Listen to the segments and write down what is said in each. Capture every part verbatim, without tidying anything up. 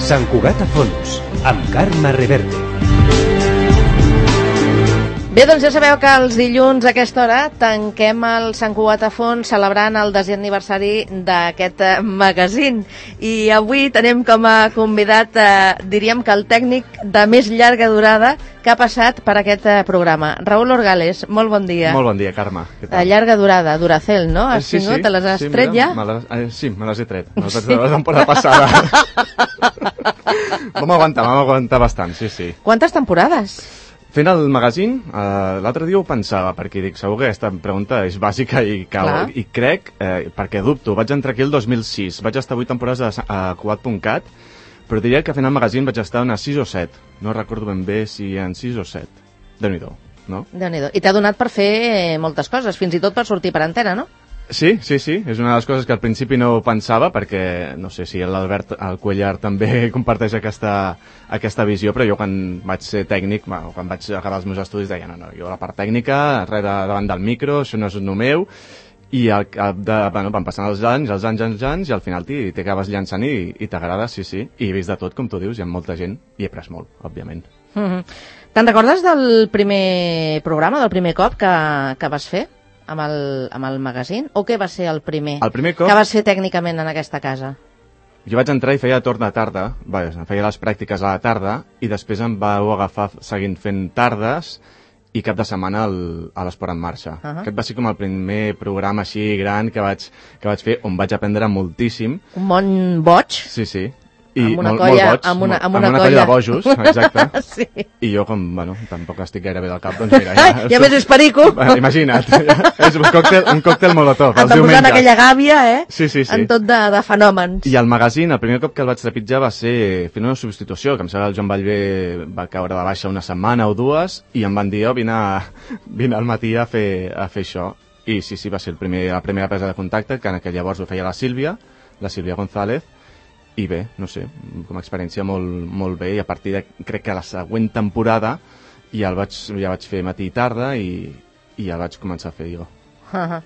Sant Cugat a fons, amb Carme Reverte. Bé, doncs ja sabeu que els dilluns a aquesta hora tanquem el Sant Cugat a fons celebrant el desè aniversari d'aquest magazín. I avui tenim com a convidat, eh, diríem que el tècnic de més llarga durada que ha passat per aquest programa. Raúl Orgales, molt bon dia. Molt bon dia, Carme. Què tal? De llarga durada, Duracell, no? Has sí, tingut? sí, Te les has sí, tret mira, ja? Me les, eh, sí, me les he tret. Me les vaig treure la temporada passada. Vam aguantar, vam aguantar bastant, sí, sí. Quantes temporades? Fent el magazín, eh, l'altre dia ho pensava, perquè dic, segur que aquesta pregunta és bàsica i, cal, i crec, eh, perquè dubto, vaig entrar aquí el dos mil sis, vaig estar vuit temporades a, a Cugat punt cat, però diria que fent el magazín vaig estar unes sis o set, no recordo ben bé si en sis o set. Déu-n'hi-do, no? Déu-n'hi-do. I t'ha donat per fer moltes coses, fins i tot per sortir per antena, no? Sí, sí, sí, és una de les coses que al principi no pensava, perquè no sé si l'Albert el Cuellar també comparteix aquesta, aquesta visió, però jo quan vaig ser tècnic, bueno, quan vaig acabar els meus estudis deia, no, no, jo la part tècnica, res de, davant del micro, això no és el meu, i al cap de, bueno, van passant els anys, els anys, els anys, i al final t'acabes llançant i, i t'agrada, sí, sí, i he vist de tot, com tu dius, hi ha molta gent, i he après molt, òbviament. Mm-hmm. Te'n recordes del primer programa, del primer cop que, que vas fer? Amb el, amb el magazín? O què va ser el primer, el primer cop... que vas fer tècnicament en aquesta casa? Jo vaig entrar i feia torn de tarda, bé, feia les pràctiques a la tarda, i després em vau agafar seguint fent tardes i cap de setmana el, a l'Esport en Marxa. Uh-huh. Aquest va ser com el primer programa així gran que vaig, que vaig fer, on vaig aprendre moltíssim. Un bon boig? Sí, sí. I amb una molt, colla, molt boig, amb una, amb amb una, una colla. colla de bojos, exacte. Sí. I jo, com, bueno, tampoc estic gaire bé del cap, doncs mira... Ja, ja més és perico. Bueno, imagina't, és un còctel, un còctel molotov, els diumenges. diumenges. Aquella gàbia, eh? Sí, sí, sí. En tot de, de fenòmens. I el magazín, el primer cop que el vaig trepitjar va ser fent una substitució, que em sembla que el Joan Vallvé va caure de baixa una setmana o dues, i em van dir, oh, vine, a, vine al matí a fer, a fer això. I sí, sí, va ser el primer, la primera presa de contacte, que en aquell llavors ho feia la Sílvia, la Sílvia González, i bé, no sé, com a experiència molt, molt bé, i a partir de, crec que la següent temporada ja, el vaig, ja vaig fer matí i tarda i, i ja vaig començar a fer jo. Uh -huh.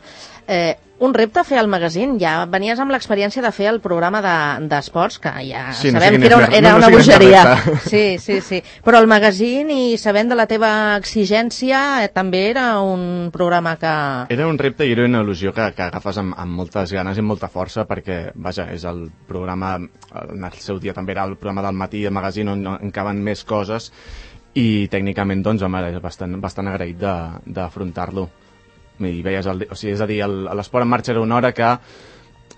eh, un repte fer el magazín, ja venies amb l'experiència de fer el programa d'esports, de, que ja sí, sabem no que era, una, era no, no una bogeria. Sí, sí, sí, però el magazín, i sabent de la teva exigència, eh, també era un programa que... Era un repte i era una il·lusió que, que agafes amb, amb moltes ganes i amb molta força, perquè, vaja, és el programa, en el seu dia també era el programa del matí, el magazín on, on caben més coses, i tècnicament, doncs, home, era bastant, bastant agraït d'afrontar-lo. I veies el, o sigui, és a dir, l'Esport en Marxa era una hora que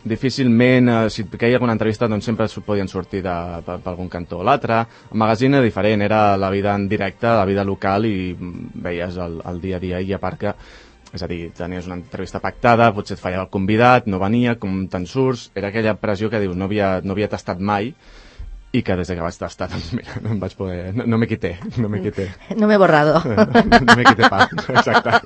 difícilment, eh, si et queia alguna entrevista, doncs sempre podien sortir de, per, per algun cantó o l'altre. El magazín era diferent, era la vida en directe, la vida local, i veies el, el dia a dia, i a part que, és a dir, tenies una entrevista pactada, potser et fallava el convidat, no venia, com te'n surts, era aquella pressió que dius, no havia, no havia tastat mai, i que des que vaig tastar, doncs mira, no em vaig poder... No, no me quité, no me quité. No m'he borrado. No, no me quité pa, exacte.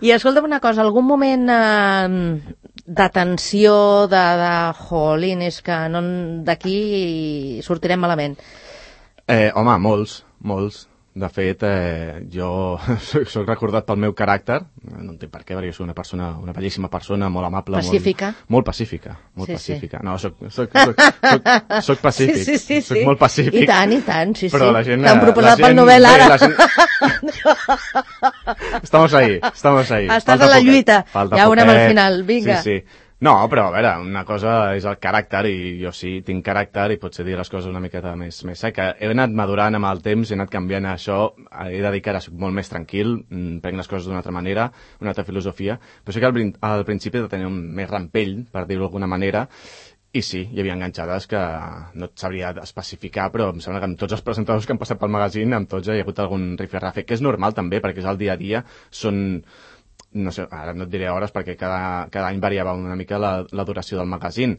I escolta'm una cosa, algun moment eh, de tensió, de, de jolín, és que no, d'aquí sortirem malament? Eh, home, molts, molts. De fet, eh, jo soc, soc recordat pel meu caràcter, no entenc per què, perquè soc una persona, una bellíssima persona, molt amable, pacífica. Molt, molt pacífica, molt sí, pacífica. Sí. No, soc, soc, soc, soc, soc pacífic, sí, sí, sí, soc sí. molt pacífic. I tant, i tant, sí, però sí. La gent, t'han proposat gent, pel Nobel ara. Bé, gent... estamos ahí, estamos ahí. Estàs Falta a la poquet. Lluita, Falta ja veurem poquet. al final, vinga. Sí, sí. No, però a veure, una cosa és el caràcter, i jo sí, tinc caràcter i potser dir les coses una miqueta més, més seca. He anat madurant amb el temps, he anat canviant això, he de dir que ara soc molt més tranquil, prenc les coses d'una altra manera, una altra filosofia, però sí que al, al principi he de tenir un més rampell, per dir-ho d'alguna manera, i sí, hi havia enganxades que no et sabria especificar, però em sembla que amb tots els presentadors que han passat pel magazín, amb tots hi ha hagut algun rifirrafe, que és normal també, perquè és el dia a dia, són... no sé, ara no et diré hores perquè cada, cada any variava una mica la, la duració del magazín,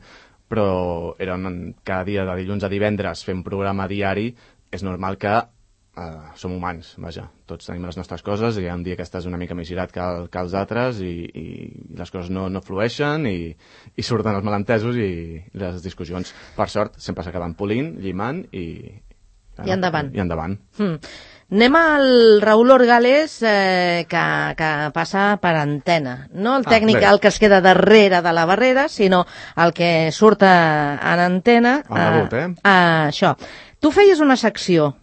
però era un, cada dia de dilluns a divendres fent programa diari, és normal que eh, som humans, vaja, tots tenim les nostres coses, i hi ha un dia que estàs una mica més girat que, que els altres, i, i les coses no, no flueixen, i, i surten els malentesos i les discussions. Per sort, sempre s'acaben polint, llimant, i... I endavant. I endavant. Hmm. Anem al Raúl Orgales, eh, que, que passa per antena. No el tècnic, ah, el que es queda darrere de la barrera, sinó el que surt en antena. El rebut, eh? A, a això. Tu feies una secció,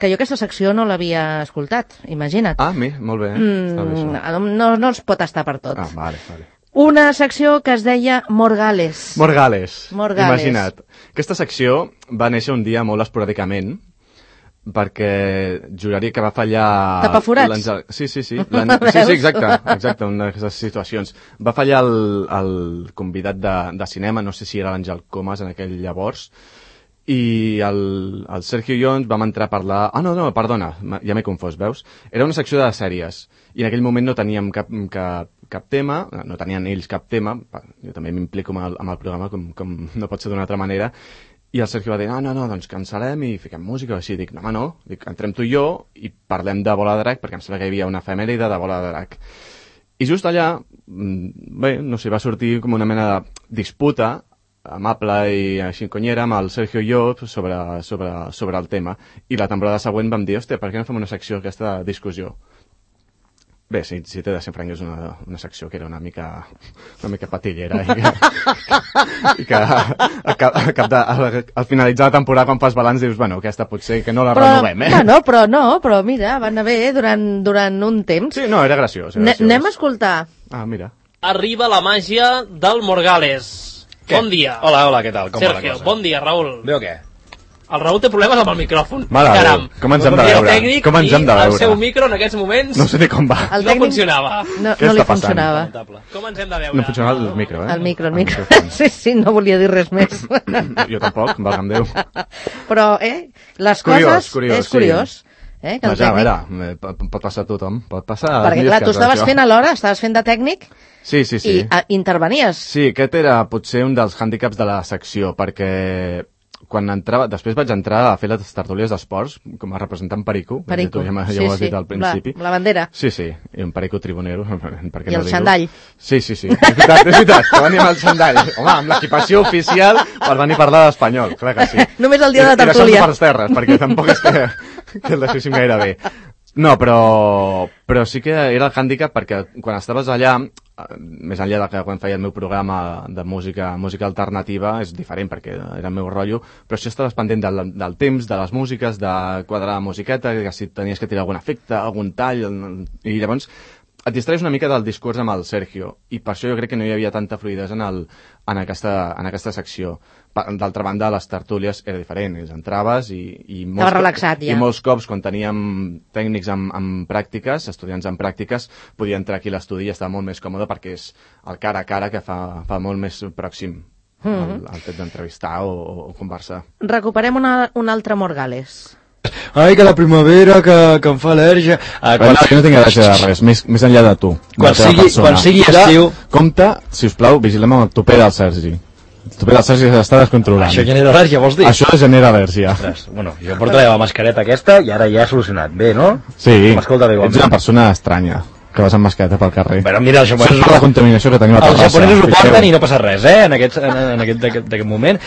que jo aquesta secció no l'havia escoltat, imagina't. Ah, mi, molt bé. Mm, no, no es pot estar per tot. Ah, vale, vale. Una secció que es deia Morgales. Morgales. Morgales. Imagina't. Aquesta secció va néixer un dia molt esporàdicament, perquè juraria que va fallar... Tapaforats? Sí, sí, sí. Sí, sí, exacte, exacte, una d'aquestes situacions. Va fallar el, el convidat de, de cinema, no sé si era l'Àngel Comas en aquell llavors, i el, el Sergio i jo ens vam entrar a parlar... Ah, no, no, perdona, ja m'he confós, veus? Era una secció de sèries, i en aquell moment no teníem cap, cap, cap tema, no tenien ells cap tema, jo també m'implico amb, el, amb el programa, com, com no pot ser d'una altra manera, i el Sergio va dir, no, no, no, doncs cancel·lem i fiquem música, o així. Dic, no, home, no, dic, entrem tu i jo i parlem de Bola de Drac, perquè em sembla que hi havia una efemèride de Bola de Drac. I just allà, bé, no sé, va sortir com una mena de disputa amable i així conyera amb el Sergio i jo sobre, sobre, sobre el tema. I la temporada següent vam dir, hòstia, per què no fem una secció aquesta discussió? Bé, si, si t'he de ser franc, és una, una secció que era una mica, una mica patillera i que, i que al, cap, al, cap de, al, al finalitzar la temporada, quan fas balanç, dius, bueno, aquesta potser que no la però, renovem, eh? No, no, però no, però mira, va anar bé durant, durant un temps. Sí, no, era graciós. Era graciós. Anem a escoltar. Ah, mira. Arriba la màgia del Morgales. Què? Bon dia. Hola, hola, què tal? Com Sergio, va la cosa? bon dia, Raül. Bé o què? El Raül té problemes amb el micròfon. Mare Caram. Déu, com ens hem de El veure? tècnic Com ens hem de i veure? el seu micro en aquests moments No sé ni com va. El no tècnic funcionava. No, Què no li està passant? funcionava. Lamentable. Com ens hem de veure? No funcionava el micro, eh? El micro, el micro. Sí, sí, no volia dir res més. Jo tampoc, valga'm Déu. Però, eh, les Curiós, coses... curiós, és curiós. Eh, que el Vaja, a tècnic... veure, pot, pot passar a tothom. Pot passar... Perquè, clar, tu estaves fent alhora, estaves fent de tècnic Sí, sí, sí. i a, intervenies. Sí, aquest era potser un dels hàndicaps de la secció, perquè quan entrava... Després vaig entrar a fer les tertúlies d'esports com a representant Perico. Perico, Tu ja, ja sí, ho has sí. dit al principi. La, la bandera. Sí, sí, i un Perico tribunero. Per què I no el dir-ho? xandall. Sí, sí, sí. És veritat, és veritat, que venia amb el xandall. Home, amb l'equipació oficial per venir a parlar d'espanyol, clar que sí. Només el dia de la I- i tertúlia. deixant-lo per les terres, perquè tampoc és que, que el deixéssim gaire bé. No, però, però sí que era el hàndicap perquè quan estaves allà, més enllà de que quan feia el meu programa de música, música alternativa, és diferent perquè era el meu rotllo, però si estaves pendent del, del temps, de les músiques, de quadrar la musiqueta, que si tenies que tirar algun efecte, algun tall, i llavors et distraes una mica del discurs amb el Sergio, i per això jo crec que no hi havia tanta fluïdesa en, el, en, aquesta, en aquesta secció. D'altra banda, les tertúlies era diferent, ells entraves i... i molts, Estava relaxat, ja. I molts cops, quan teníem tècnics amb, amb pràctiques, estudiants amb pràctiques, podia entrar aquí a l'estudi i estava molt més còmode perquè és el cara a cara que fa, fa molt més pròxim mm -hmm. el, el fet d'entrevistar o, o conversar. Recuperem una, un altre Morgales. Ai, que la primavera, que, que em fa al·lèrgia. Ah, Quan... No, no tinc gràcia de res, més, més enllà de tu. Quan de la sigui- persona. quan sigui Compte- estiu- Compte, sisplau, vigilem amb el tupé del Sergi. El tupé del Sergi s'està descontrolant. Això genera al·lèrgia, vols dir? Això genera al·lèrgia. Ostres, bueno, jo porto la mascareta aquesta i ara ja he solucionat. Bé, no? Sí, M'escolta bé, ets igualment. una persona estranya, que vas amb mascareta pel carrer. Però mira, els Això és japonesos, la contaminació que tenim a els Terrassa. japonesos ho fixeu. porten i no passa res, eh? En aquest, en, en aquest, d'aquest- d'aquest moment.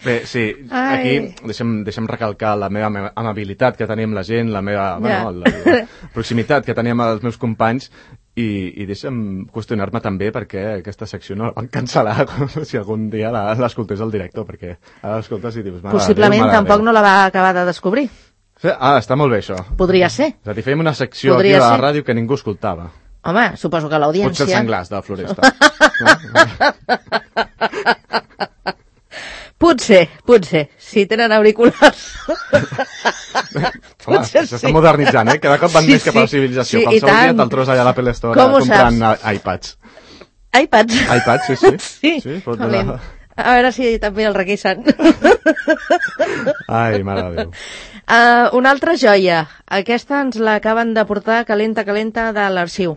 Bé, sí, Ai. aquí deixem, deixem recalcar la meva ama- amabilitat que tenim la gent, la meva Ja. bueno, la, la proximitat que teníem amb els meus companys i, i deixa'm qüestionar-me també perquè aquesta secció no la van cancel·lar si algun dia la- l'escoltés el director, perquè ara l'escoltes i dius... mare de Possiblement Déu, mare de tampoc Déu. no la va acabar de descobrir. Sí, ah, està molt bé això. Podria ser. És a dir, fèiem una secció Podria aquí a la ser. ràdio que ningú escoltava. Home, suposo que Potser el l'audiència... senglars de la Floresta. No? Potser, potser, si tenen auriculars. Home, Potser s'està sí. modernitzant, eh? Cada cop van Sí, més cap a la sí. civilització. Sí, Pel i seu dia tant. te'l trobes allà a l'Apple Store Com ho comprant saps? eh, iPads. iPads. iPads, sí, sí. Sí, Sí, pot valent. donar- A veure si també el requisen. Ai, mare de Déu. Uh, una altra joia. Aquesta ens l'acaben de portar calenta, calenta de l'arxiu.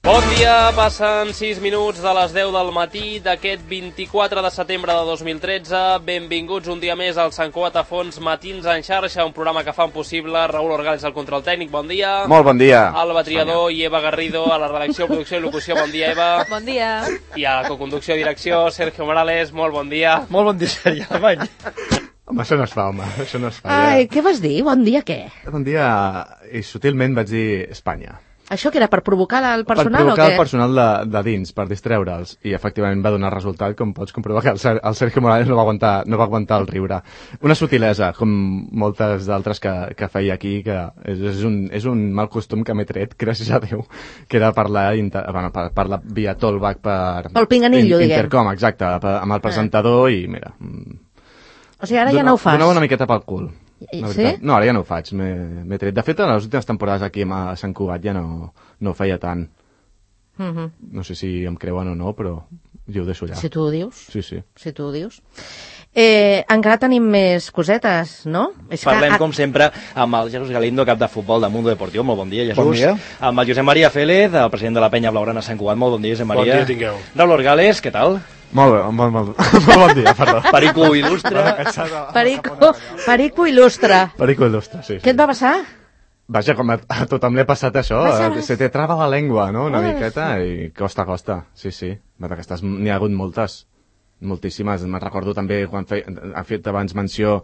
Bon dia, passen sis minuts de les deu del matí d'aquest vint-i-quatre de setembre de dos mil tretze. Benvinguts un dia més al Sant Cugat a Fons Matins en xarxa, un programa que fan possible Raül Orgales al control tècnic, bon dia. Molt bon dia. Alba Triador i Eva Garrido a la redacció, producció i locució, bon dia, Eva. Bon dia. I a la coconducció i direcció, Sergio Morales, molt bon dia. Molt bon dia, Sergi Alemany. Home, això no es fa, home, això no es fa. Ai, ja. què vas dir? Bon dia, què? Bon dia, i sutilment vaig dir Espanya. Això que era per provocar el personal per provocar o què? el personal de, de dins, per distreure'ls, i efectivament va donar resultat, com pots comprovar que el, Ser el Sergio Morales no va, aguantar, no va aguantar el riure. Una sutilesa, com moltes d'altres que, que feia aquí, que és, és, un, és un mal costum que m'he tret, gràcies a Déu, que era parlar, inter, bueno, per, parlar via talkback per... Pel pinganillo, in, diguem. Intercom, exacte, per, amb el presentador, ah. i mira... O sigui, ara ja no ho fas. Donava una miqueta pel cul. Sí? No, ara ja no ho faig, m'he tret. De fet, en les últimes temporades aquí a Sant Cugat ja no, no ho feia tant. Uh -huh. No sé si em creuen o no, però jo ho deixo allà. Si tu ho dius. Sí, sí. Si tu ho dius. Eh, encara tenim més cosetes, no? És Parlem, que... com sempre, amb el Jesús Galindo, cap de futbol de Mundo Deportivo. Molt bon dia, Jesús. Bon dia. Amb el Josep Maria Félez, el president de la penya blaugrana Sant Cugat. Molt bon dia, Josep Maria. Bon dia tingueu. Raúl Orgales, què tal? Molt bé, molt, molt, molt bon dia, perdó. Perico il·lustre. Perico, Perico il·lustre. Perico il·lustre, sí, sí. Què et va passar? Vaja, com a, a tothom li ha passat això, Vaja. se te trava la llengua, no?, una Ah, miqueta, i costa, costa, sí, sí. D'aquestes n'hi ha hagut moltes, moltíssimes. Me'n recordo també quan fei, ha fet abans menció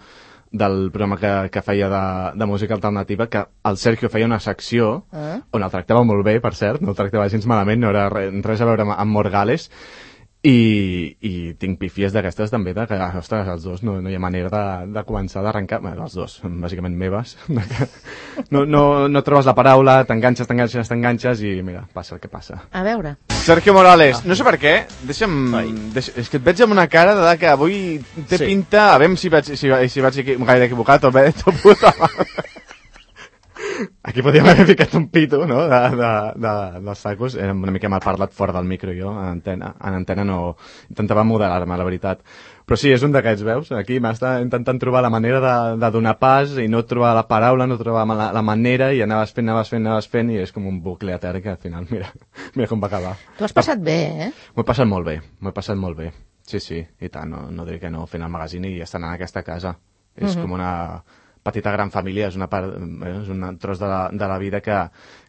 del programa que, que feia de, de música alternativa, que el Sergio feia una secció Ah. on el tractava molt bé, per cert, no el tractava gens malament, no era res, res a veure amb, amb Morgales, i, i tinc pifies d'aquestes també, de que, ostres, els dos no, no hi ha manera de, de començar d'arrencar, bé, els dos, bàsicament meves, de que no, no, no trobes la paraula, t'enganxes, t'enganxes, t'enganxes, i mira, passa el que passa. A veure. Sergio Morales, no sé per què, deixa'm... Deix, és que et veig amb una cara de que avui té Sí. pinta... A veure si vaig, si, si vaig equi, gaire equivocat o bé, tot puta mare. Aquí podríem haver ficat un pito, no?, de, de, de, dels sacos. Era una mica mal parlat fora del micro, jo, en antena. En antena no... Intentava moderar-me, la veritat. Però sí, és un d'aquests, veus? Aquí m'està intentant trobar la manera de, de donar pas i no trobar la paraula, no trobar la, la manera, i anaves fent, anaves fent, anaves fent, i és com un bucle etern que al final, mira, mira com va acabar. Tu has passat bé, eh? M'ho he passat molt bé, m'ho he passat molt bé. Sí, sí, i tant, no, no diré que no, fent el magazín i estant en aquesta casa. És Mhm. com una petita gran família, és una part, eh, és un tros de la, de la vida que,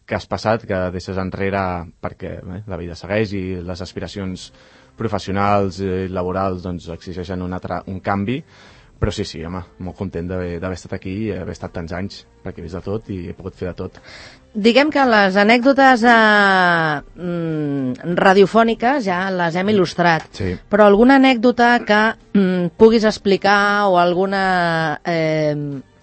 que has passat, que deixes enrere perquè eh, la vida segueix i les aspiracions professionals i laborals doncs exigeixen un, altre, un canvi, però sí, sí, home, molt content d'haver estat aquí i haver estat tants anys, perquè he vist de tot i he pogut fer de tot. Diguem que les anècdotes eh, mm, radiofòniques ja les hem il·lustrat, Sí. però alguna anècdota que mm, puguis explicar o alguna eh,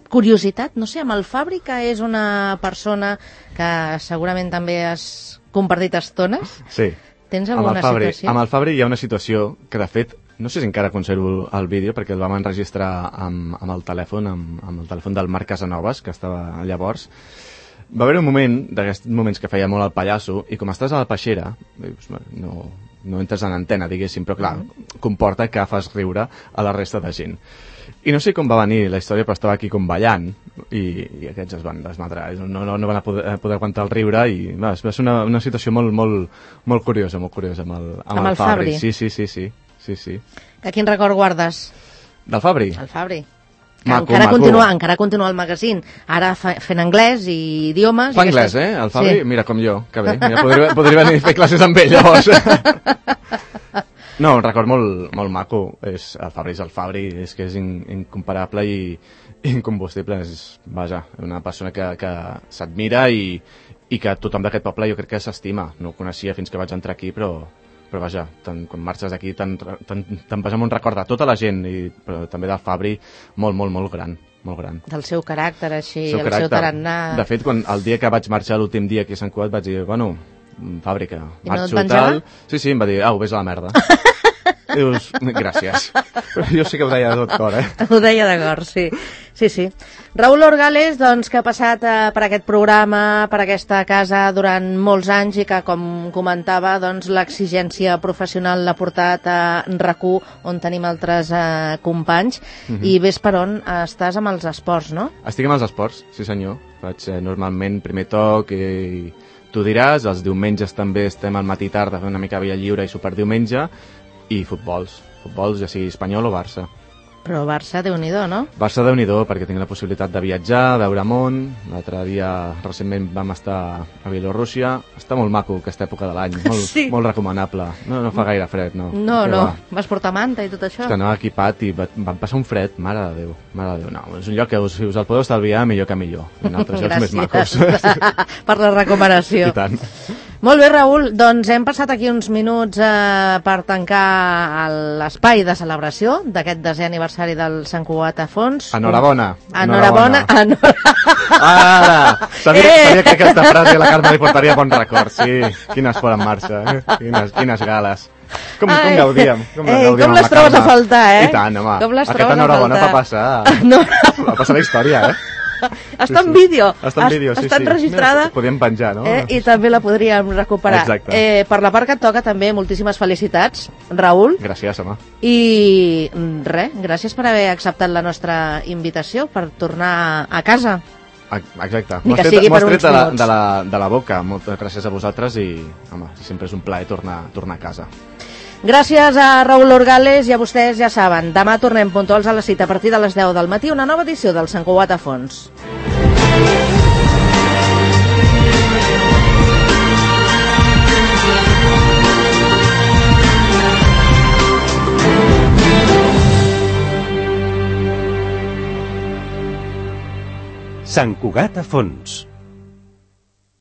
curiositat, no sé, amb el Fabri, que és una persona que segurament també has compartit estones, Sí. tens Amb alguna el Fabri, situació? amb el Fabri hi ha una situació que, de fet, no sé si encara conservo el vídeo, perquè el vam enregistrar amb, amb el telèfon, amb, amb el telèfon del Marc Casanovas, que estava llavors. Va haver un moment, d'aquests moments que feia molt el pallasso, i com estàs a la peixera, dius, no, no entres en antena, diguéssim, però clar, comporta que fas riure a la resta de gent. I no sé com va venir la història, però estava aquí com ballant, i, i aquests es van desmadrar, no, no, no van a poder, poder aguantar el riure, i va, va ser una, una situació molt, molt, molt curiosa, molt curiosa amb el, amb Amb el, el Fabri. Fabri. Sí, sí, sí, sí, sí, sí. Que quin record guardes? Del Fabri? El Fabri. Que Maco, encara, maco. continua, encara continua el magazín, ara fa, fent anglès i idiomes. Fa i anglès, aquestes- eh? El Fabri, Sí. mira, com jo, que bé. Mira, podria, podria venir a fer classes amb ell, llavors. No, un record molt, molt maco. És, el Fabri és el Fabri, és que és in, incomparable i incombustible. És, vaja, una persona que, que s'admira i, i que tothom d'aquest poble jo crec que s'estima. No ho coneixia fins que vaig entrar aquí, però, però vaja, tant, quan marxes d'aquí te'n te, te vas amb un record de tota la gent, i, però també del Fabri, molt, molt, molt gran. Molt gran. Del seu caràcter, així, seu el seu tarannà. De fet, quan, el dia que vaig marxar, l'últim dia aquí a Sant Cugat, vaig dir, bueno, fàbrica, I no et marxo penjava? tal... Sí, sí, em va dir, au, vés a la merda. I dius, gràcies. Però jo sí que ho deia de tot cor, eh? Ho deia de cor, sí. Sí, sí. Raúl Orgales, doncs, que ha passat eh, per aquest programa, per aquesta casa durant molts anys i que, com comentava, doncs, l'exigència professional l'ha portat a RAC u, on tenim altres eh, companys, Mhm. i ves per on estàs amb els esports, no? Estic amb els esports, sí senyor. Faig eh, normalment primer toc i tu diràs, els diumenges també estem al matí tard a fer una mica via lliure i superdiumenge, i futbols, futbols ja sigui espanyol o Barça. Però Barça, Déu-n'hi-do, no? Barça, Déu-n'hi-do, perquè tinc la possibilitat de viatjar, veure món. L'altre dia, recentment, vam estar a Bielorússia. Està molt maco aquesta època de l'any, molt, Sí. molt recomanable. No, no fa gaire fred, no. No, Què no. va? Vas portar manta i tot això? És que anava equipat i va, van passar un fred, mare de Déu, mare de Déu. No, és un lloc que us, si us el podeu estalviar, millor que millor. En altres llocs més macos. Per la recomanació. I tant. Molt bé, Raül, doncs hem passat aquí uns minuts eh, per tancar l'espai de celebració d'aquest desè aniversari del Sant Cugat a Fons. Enhorabona. Enhorabona. Enhorabona. Ara! Sabia, Eh! sabia que aquesta frase a la Carme li portaria bon record, sí. Quin esport en marxa, eh? Quines, quines gales. Com, com Ai. gaudíem. Com, Ei, gaudíem com amb les la trobes Carme. a faltar, eh? I tant, home. Com les Aquesta trobes a enhorabona faltar. va passar. No. Va passar la història, eh? Està en vídeo. Està en vídeo, sí, Està sí. enregistrada. Mira, podíem penjar, no? Eh, I també la podríem recuperar. Exacte. Eh, per la part que et toca també, moltíssimes felicitats, Raül. Gràcies, home. I res, gràcies per haver acceptat la nostra invitació per tornar a casa. Exacte. Ni M'ho que has tret, sigui m'ho has per tret uns de la, minuts. de, la, de la boca. Moltes gràcies a vosaltres i, home, sempre és un plaer tornar, tornar a casa. Gràcies a Raül Orgales i a vostès ja saben, demà tornem puntuals a la cita a partir de les deu del matí, una nova edició del Sant Cugat a Fons. Sant Cugat a Fons,